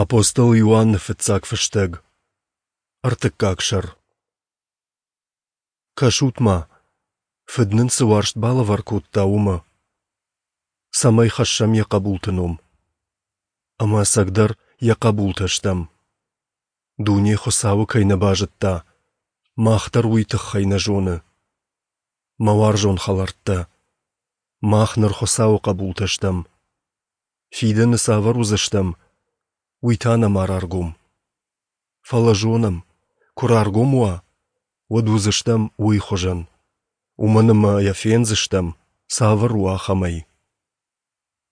Апостол Иоанны фыццаг фыстӕг, ӕртыккаг сӕр. Кӕсут-ма, Фыд нын цы уарзт балӕвар кодта, уымӕ. Цӕмӕй хӕссӕм йӕ хъӕбулты ном. Ӕмӕ ӕцӕгдӕр йӕ хъӕбултӕ стӕм. Дуне Хуыцауы кӕй нӕ базыдта, мах дӕр уый тыххӕй нӕ зоны. Мӕ уарзон хӕлӕрттӕ, мах ныр Хуыцауы хъӕбултӕ стӕм. Фидӕны цавӕр уыдзыстӕм, уый та нӕма раргом. Фӕлӕ зонӕм, куы раргом уа, уӕд уыдзыстӕм уый хуызӕн, уымӕн ӕмӕ йӕ фендзыстӕм, цавӕр у, ахӕмӕй.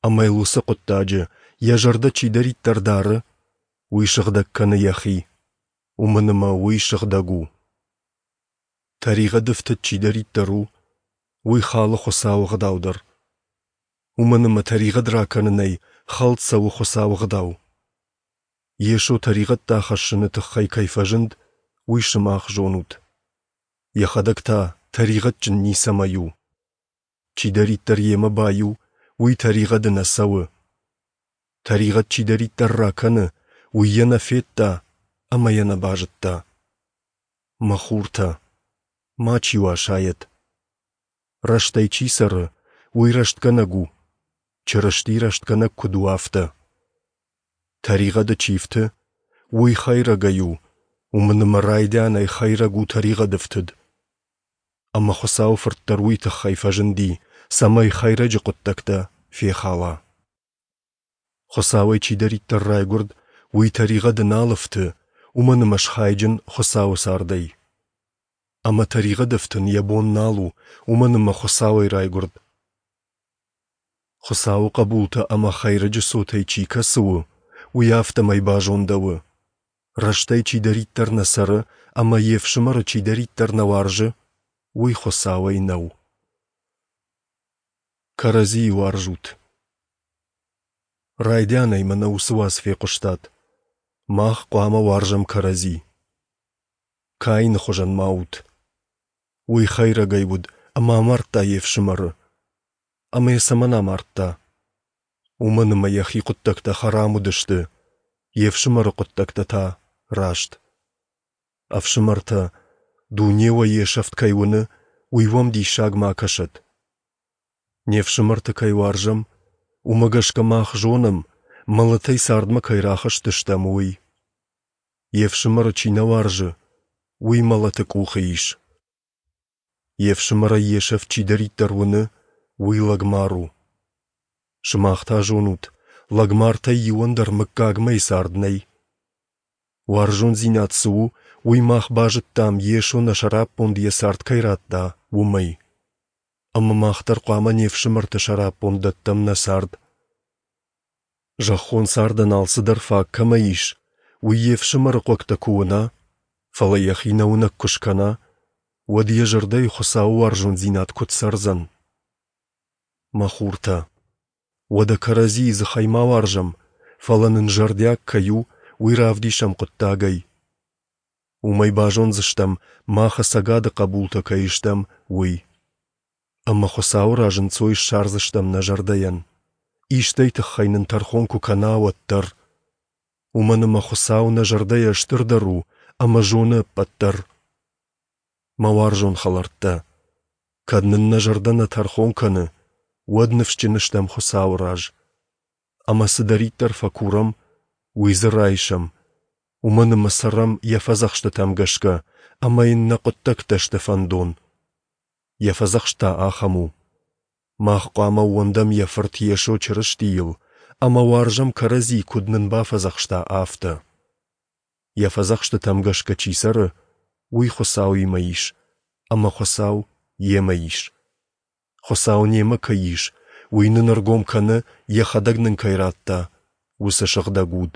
Ӕмӕ йыл уыцы хъуыддаджы йӕ зӕрдӕ чидӕриддӕр дары, уый сыгъдӕг кӕны йӕхи, уымӕн ӕмӕ уый сыгъдӕг у. Тӕригъӕды фтыд чидӕриддӕр у, уый халы Хуыцауы ӕгъдау дӕр. Уымӕн ӕмӕ тӕригъӕд ракӕнынӕй хӕлд цӕуы Хуыцауы ӕгъдау. Йесо тӕригъӕдтӕ ахӕссыны тыххӕй кӕй фӕзынд, уый сымах зонут. Йӕхӕдӕг та тӕригъӕдджын ницӕмӕй у. Чидӕриддӕр йемӕ баиу, уый тӕригъӕды нӕ цӕуы. Тӕригъӕд чидӕриддӕр ракӕны, уый йӕ нӕ федта ӕмӕ йӕ нӕ базыдта. Мӕ хуртӕ, мачи уӕ асайӕд. Рӕстӕй чи цӕры, уый рӕстгӕнӕг у, Чырысти рӕстгӕнӕг куыд у, афтӕ. Тӕригъӕды чи фты, уый хӕйрӕгӕй у, уымӕн ӕмӕ райдианӕй хӕйрӕг у тӕригъӕды фтыд. Ӕмӕ Хуыцауы Фырт дӕр уый тыххӕй фӕзынди, цӕмӕй хӕйрӕджы хъуыддӕгтӕ фехала. Хуыцауӕй чидӕриддӕр райгуырд, уый тӕригъӕды нал ӕфты, уымӕн ӕмӕ схайджын Хуыцауы цардӕй. Ӕмӕ тӕригъӕды ӕфтын йӕ бон нал у, уымӕн ӕмӕ Хуыцауӕй райгуырд. Хуыцауы хъӕбултӕ ӕмӕ хӕйрӕджы цотӕй чи кӕцы у, уый афтӕмӕй базондӕуы: рӕстӕй чидӕриддӕр нӕ цӕры ӕмӕ йе фсымӕры чидӕриддӕр нӕ уарзы, уый Хуыцауӕй нӕу. Кӕрӕдзийы уарзут. Райдианӕй мӕнӕ уыцы уац фехъуыстат. Мах хъуамӕ уарзӕм кӕрӕдзи. Каины хуызӕн ма ут. Уый хӕйрӕгӕй уыд ӕмӕ амардта йе фсымӕры. Ӕмӕ йӕ цӕмӕн амардта? Уымӕн ӕмӕ йӕхи хъуыддӕгтӕ хӕрам уыдысты, йе фсымӕры хъуыддӕгтӕ та раст. Ӕфсымӕртӕ, дуне уӕ йе сӕфт кӕй уыны, уый уӕм диссаг ма кӕсӕд. Не фсымӕрты кӕй уарзӕм, уымӕ гӕсгӕ мах зонӕм, мӕлӕтӕй цардмӕ кӕй рахызтыстӕм, уый. Йе фсымӕры чи нӕ уарзы, уый мӕлӕты къухы ис. Йе фсымӕрӕй йе сӕфт чидӕриддӕр уыны, уый лӕгмар у. Сымах та зонут, лӕгмартӕй иуӕн дӕр мыггагмӕйы цард нӕй. Уарзондзинад цы у, уый мах базыдтам, Йесо нӕ сӕраппонд йӕ цард кӕй радта, уымӕй. Ӕмӕ мах дӕр хъуамӕ не фсымӕрты сӕраппонд дӕттӕм нӕ цард. Зӕххон цардӕн алцыдӕр фаг кӕмӕ ис, уый йе фсымӕры хъуӕгтӕ куы уына, фӕлӕ йӕхи нӕуынӕг куы скӕна, уӕд йӕ зӕрдӕйы Хуыцауы уарзондзинад куыд цӕрдзӕн? Мӕ хуртӕ, уӕдӕ кӕрӕдзийы дзыхӕй ма уарзӕм, фӕлӕ нын зӕрдиаг кӕй у, уый равдисӕм хъуыддагӕй. Уымӕй базондзыстӕм, мах ӕцӕгады хъӕбултӕ кӕй стӕм, уый. Ӕмӕ Хуыцауы раз ӕнцой ссардзыстӕм нӕ зӕрдӕйӕн, истӕй тыххӕй нын тӕрхон куы кӕна, уӕддӕр. Уымӕн ӕмӕ Хуыцау нӕ зӕрдӕйӕ стырдӕр у ӕмӕ зоны ӕппӕт дӕр. Мӕ уарзон хӕлӕрттӕ, кӕд нын нӕ зӕрдӕ нӕ тӕрхон кӕны, уӕд ныфсджын стӕм Хуыцауы раз. Ӕмӕ цыдӕриддӕр фӕкурӕм, уый дзы райсӕм, уымӕн ӕмӕ цӕрӕм йӕ фӕдзӕхстытӕм гӕсгӕ ӕмӕ йын нӕ хъуыддӕгтӕ сты фӕндон. Йӕ фӕдзӕхст та ахӕм у: мах хъуамӕ ууӕндӕм йӕ Фырт Йесо Чырыстийыл ӕмӕ уарзӕм кӕрӕдзи, куыд нын бафӕдзӕхста, афтӕ. Йӕ фӕдзӕхстытӕм гӕсгӕ чи цӕры, уый Хуыцауимӕ ис, ӕмӕ Хуыцау йемӕ ис. Хуыцау немӕ кӕй ис, уый нын ӕргом кӕны, йӕхӕдӕг нын кӕй радта, уыцы Сыгъдӕг Уд.